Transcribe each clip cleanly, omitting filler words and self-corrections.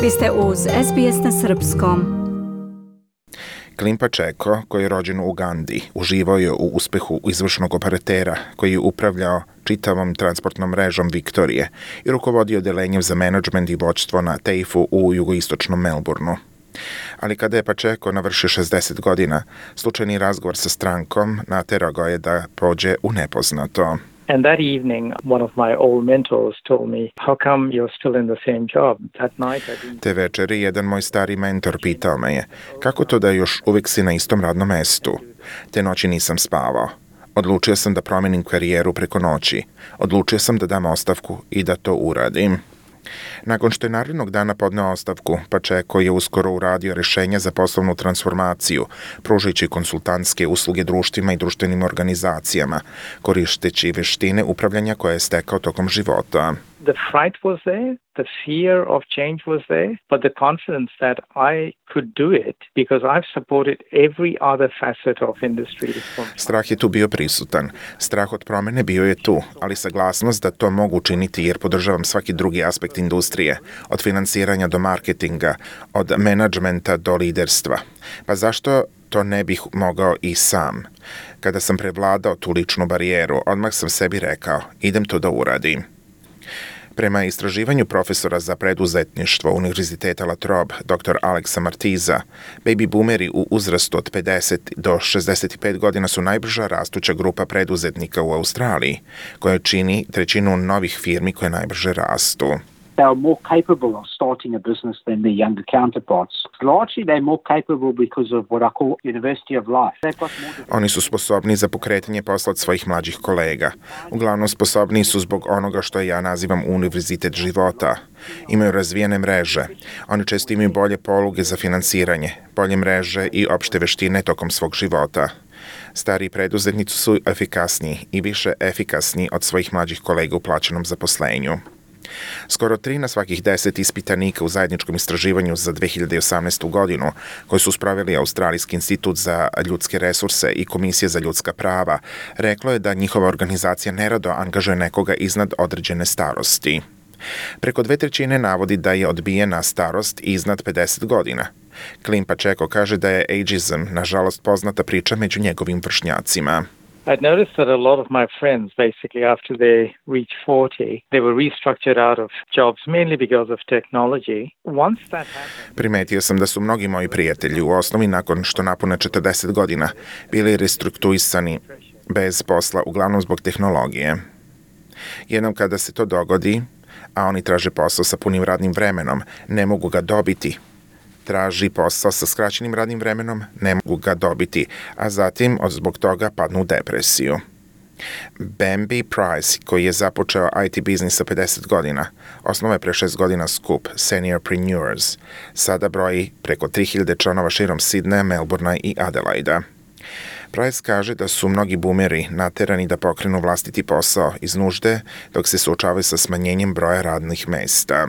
Vi ste uz SBS na srpskom. Clint Pacheco, koji je rođen u Ugandi, uživao je u uspehu izvršnog operatera koji je upravljao čitavom transportnom mrežom Viktorije i rukovodio odelenjem za menadžment i vođstvo na TAFE-u u jugoistočnom Melbourneu. Ali kada je Pacheco navršio 60 godina, slučajni razgovor sa strankom naterao ga je da pođe u nepoznato. And that evening, one of my old mentors told me, how come you're still in the same job? That night I didn't... Te večeri jedan moj stari mentor pitao me je, kako to da još uvijek si na istom radnom mestu? Te noći nisam spavao. Odlučio sam da promenim karijeru preko noći. Odlučio sam da dam ostavku i da to uradim. Nakon što je narednog dana podneo ostavku, Pacheco je uskoro uradio rješenja za poslovnu transformaciju, pružajući konsultantske usluge društvima i društvenim organizacijama, koristeći vještine upravljanja koje je stekao tokom života. The fright was there, the fear of change was there, but the confidence that I could do it because I've supported every other facet of industry. Strah je tu bio prisutan. Strah od promjene bio je tu, ali saglasnost da to mogu učiniti jer podržavam svaki drugi aspekt industrije, od financiranja do marketinga, od menadžmenta do liderstva. Pa zašto to ne bih mogao i sam? Kada sam prevladao tu ličnu barijeru, odmah sam sebi rekao, idem to da uradim. Prema istraživanju profesora za preduzetništvo Univerziteta La Trobe, dr. Alexa Martiza, baby boomeri u uzrastu od 50 do 65 godina su najbrža rastuća grupa preduzetnika u Australiji, koja čini trećinu novih firmi koje najbrže rastu. They are more capable of starting a business than their younger counterparts. Largely, they're more capable because of what I call University of Life. Oni su sposobni za pokretanje posla od svojih mlađih kolega. Uglavnom sposobni su zbog onoga što ja nazivam univerzitet života. Imaju razvijene mreže. Oni često imaju bolje poluge za finansiranje, bolje mreže i opšte veštine tokom svog života. Stariji preduzetnici su efikasniji i više efikasni od svojih mlađih kolega u plaćenom zaposlenju. Skoro 3 na svakih 10 ispitanika u zajedničkom istraživanju za 2018. godinu, koji su spravili Australijski institut za ljudske resurse i Komisija za ljudska prava, reklo je da njihova organizacija nerado angažuje nekoga iznad određene starosti. Preko 2/3 navodi da je odbijena starost iznad 50 godina. Clint Pacheco kaže da je ageism, nažalost, poznata priča među njegovim vršnjacima. I'd noticed that a lot of my friends, basically after they reached 40, they were restructured out of jobs, mainly because of technology. Once that happened... Primetio sam da su mnogi moji prijatelji u osnovi nakon što napune 40 godina bili restrukturisani bez posla, uglavnom zbog tehnologije. Jednom kada se to dogodi, a oni traže posao sa punim radnim vremenom, ne mogu ga dobiti. Traži posao sa skraćenim radnim vremenom, ne mogu ga dobiti, a zatim zbog toga padnu u depresiju. Bambi Price, koji je započeo IT biznis sa 50 godina, osnovao je pre 6 godina skup Seniorpreneurs. Sada broji preko 3000 članova širom Sidneja, Melbournea i Adelaida. Price kaže da su mnogi boomeri naterani da pokrenu vlastiti posao iz nužde, dok se suočavaju sa smanjenjem broja radnih mesta.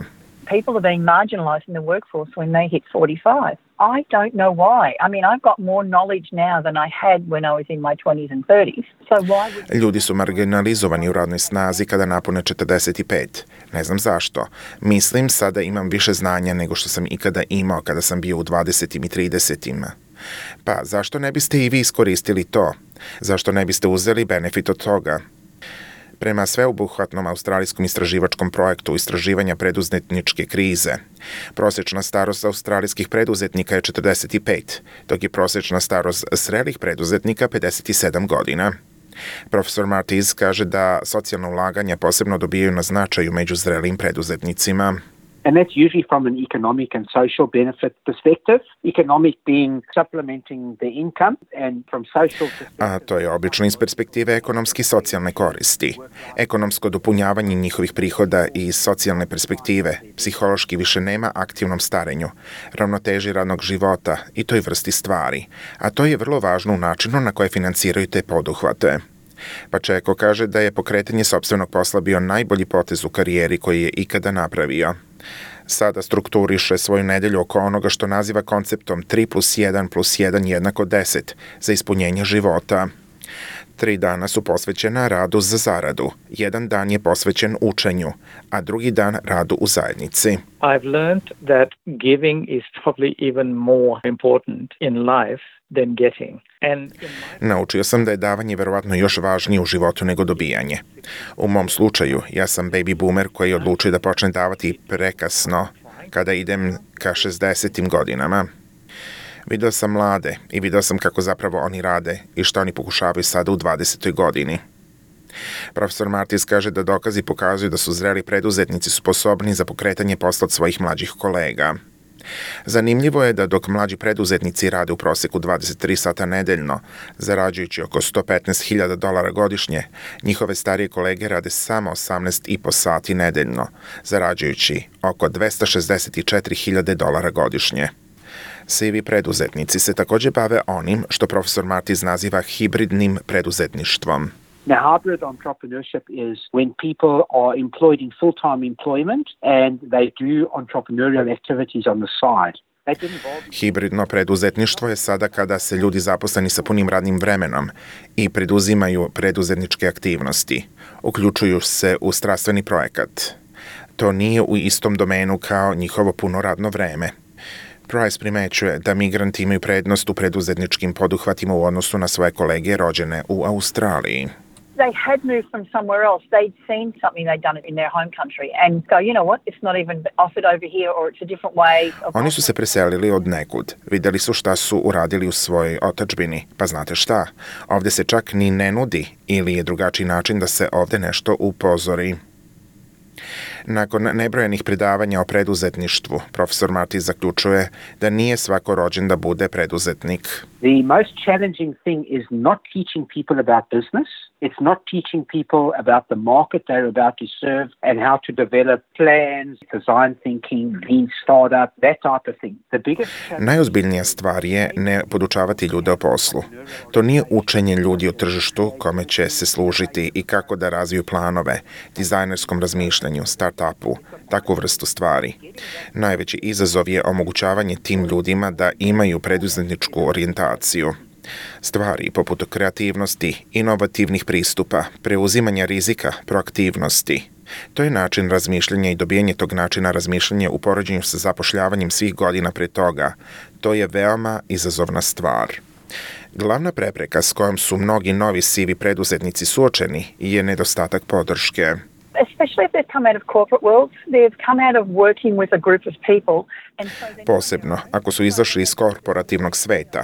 People are being marginalised in the workforce when they hit 45. I don't know why. I mean, I've got more knowledge now than I had when I was in my 20s and 30s. So why would... Ljudi su marginalizovani u radnoj snazi kada napune 45. Ne znam zašto. Mislim sada imam više znanja nego što sam ikada imao kada sam bio u 20. i 30. Pa zašto ne biste i vi iskoristili to? Zašto ne biste uzeli benefit od toga? Prema sveobuhvatnom australijskom istraživačkom projektu istraživanja preduzetničke krize, prosječna starost australijskih preduzetnika je 45, dok je prosječna starost zrelih preduzetnika 57 godina. Profesor Martiz kaže da socijalna ulaganja posebno dobijaju na značaju među zrelim preduzetnicima. And that's usually from an economic and social benefit perspective. Economic being supplementing the income and from social perspective... A to je obično iz perspektive ekonomski socijalne koristi. Ekonomsko dopunjavanje njihovih prihoda i iz socijalne perspektive psihološki više nema aktivnom starenju, ravnoteži radnog života i toj vrsti stvari. A to je vrlo važno u načinu na koje financiraju te poduhvate. Pacheco kaže da je pokretanje sopstvenog posla bio najbolji potez u karijeri koji je ikada napravio. Sada strukturiše svoju nedelju oko onoga što naziva konceptom 3+1+1=10 za ispunjenje života. 3 dana su posvećena radu za zaradu, 1 dan je posvećen učenju, a drugi dan radu u zajednici. I've learned that giving is probably even more important in life than getting. Naučio sam da je davanje verovatno još važnije u životu nego dobijanje. U mom slučaju, ja sam baby boomer koji je odlučio da počne davati prekasno kada idem ka 60. godinama. Video sam mlade i video sam kako zapravo oni rade i što oni pokušavaju sada u 20. godini. Profesor Martis kaže da dokazi pokazuju da su zreli preduzetnici sposobni za pokretanje posla od svojih mlađih kolega. Zanimljivo je da dok mlađi preduzetnici rade u proseku 23 sata nedeljno, zarađujući oko $115,000 godišnje, njihove starije kolege rade samo 18,5 sati nedeljno, zarađujući oko $264,000 godišnje. Sivi preduzetnici se također bave onim što profesor Martis naziva hibridnim preduzetništvom. Now, hybrid entrepreneurship is when people are employed in full-time employment and they do entrepreneurial activities on the side. Hibridno preduzetništvo je sada kada se ljudi zaposleni sa punim radnim vremenom i preduzimaju preduzetničke aktivnosti, uključuju se u strastveni projekat. To nije u istom domenu kao njihovo puno radno vreme. Price primećuje da migranti imaju prednost u preduzetničkim poduhvatima u odnosu na svoje kolege rođene u Australiji. They had moved from somewhere else. They'd seen something they'd done in their home country and go, you know what, it's not even offered over here or it's a different way. Oni su se preselili od nekud. Vidjeli su šta su uradili u svojoj otadžbini. Pa znate šta? Ovdje se čak ni ne nudi ili je drugačiji način da se ovdje nešto upozori. Nakon nebrojenih predavanja o preduzetništvu, profesor Martis zaključuje da nije svako rođen da bude preduzetnik. The most challenging thing is not teaching people about business. It's not teaching people about the market they're about to serve and how to develop plans, design thinking, lean startup, that type of thing. The biggest Najozbiljnija stvar je ne podučavati ljude o poslu. To nije učenje ljudi o tržištu kome će se služiti i kako da razviju planove, dizajnerskom razmišljanju, start-upu, takvu vrstu stvari. Najveći izazov je omogućavanje tim ljudima da imaju preduzetničku orijentaciju. Stvari poput kreativnosti, inovativnih pristupa, preuzimanja rizika, proaktivnosti. To je način razmišljanja i dobijanje tog načina razmišljanja u poređenju sa zapošljavanjem svih godina pre toga. To je veoma izazovna stvar. Glavna prepreka s kojom su mnogi novi sivi preduzetnici suočeni je nedostatak podrške. Especially if they've come out of corporate world, they've come out of working with a group of people. Posebno ako su izašli iz korporativnog sveta.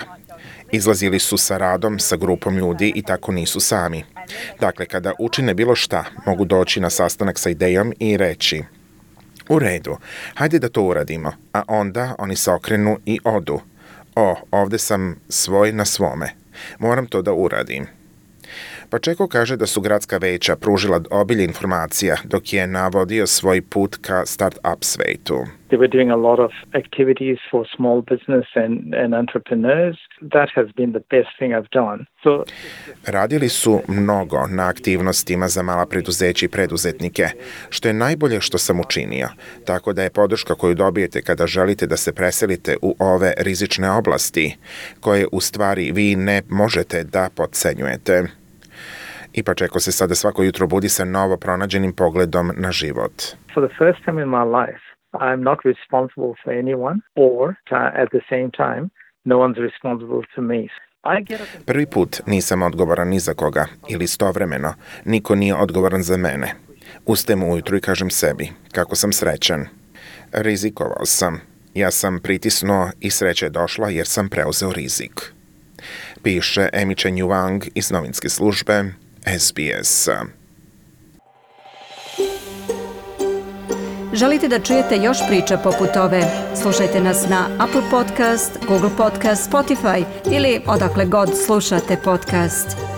Izlazili su sa radom, sa grupom ljudi i tako nisu sami. Dakle, kada učine bilo šta, mogu doći na sastanak sa idejom i reći: u redu, hajde da to uradimo, a onda oni se okrenu i odu. Ovdje sam svoj na svome. Moram to da uradim. Pačeko kaže da su gradska veća pružila obilje informacija dok je navodio svoj put ka start-up svetu. They were doing a lot of activities for small business and entrepreneurs. That has been the best thing I've done. Radili su mnogo na aktivnostima za mala preduzeća i preduzetnike, što je najbolje što sam učinio. Tako da je podrška koju dobijete kada želite da se preselite u ove rizične oblasti, koje u stvari vi ne možete da potcenjujete. I Pačeko se sada svako jutro budi sa novo pronađenim pogledom na život. For the first time in my life, I'm not responsible for anyone or at the same time, no one's responsible for me. Prvi put nisam odgovoran ni za koga ili istovremeno, niko nije odgovoran za mene. Ustajem ujutru i kažem sebi kako sam srećan. Rizikovao sam. Ja sam pritisnuo i sreća je došla jer sam preuzeo rizik. Piše Amy Chen Wang iz novinske službe SBS. Želite da čujete još priča poput ove? Slušajte nas na Apple Podcast, Google Podcast, Spotify ili odakle god slušate podcast.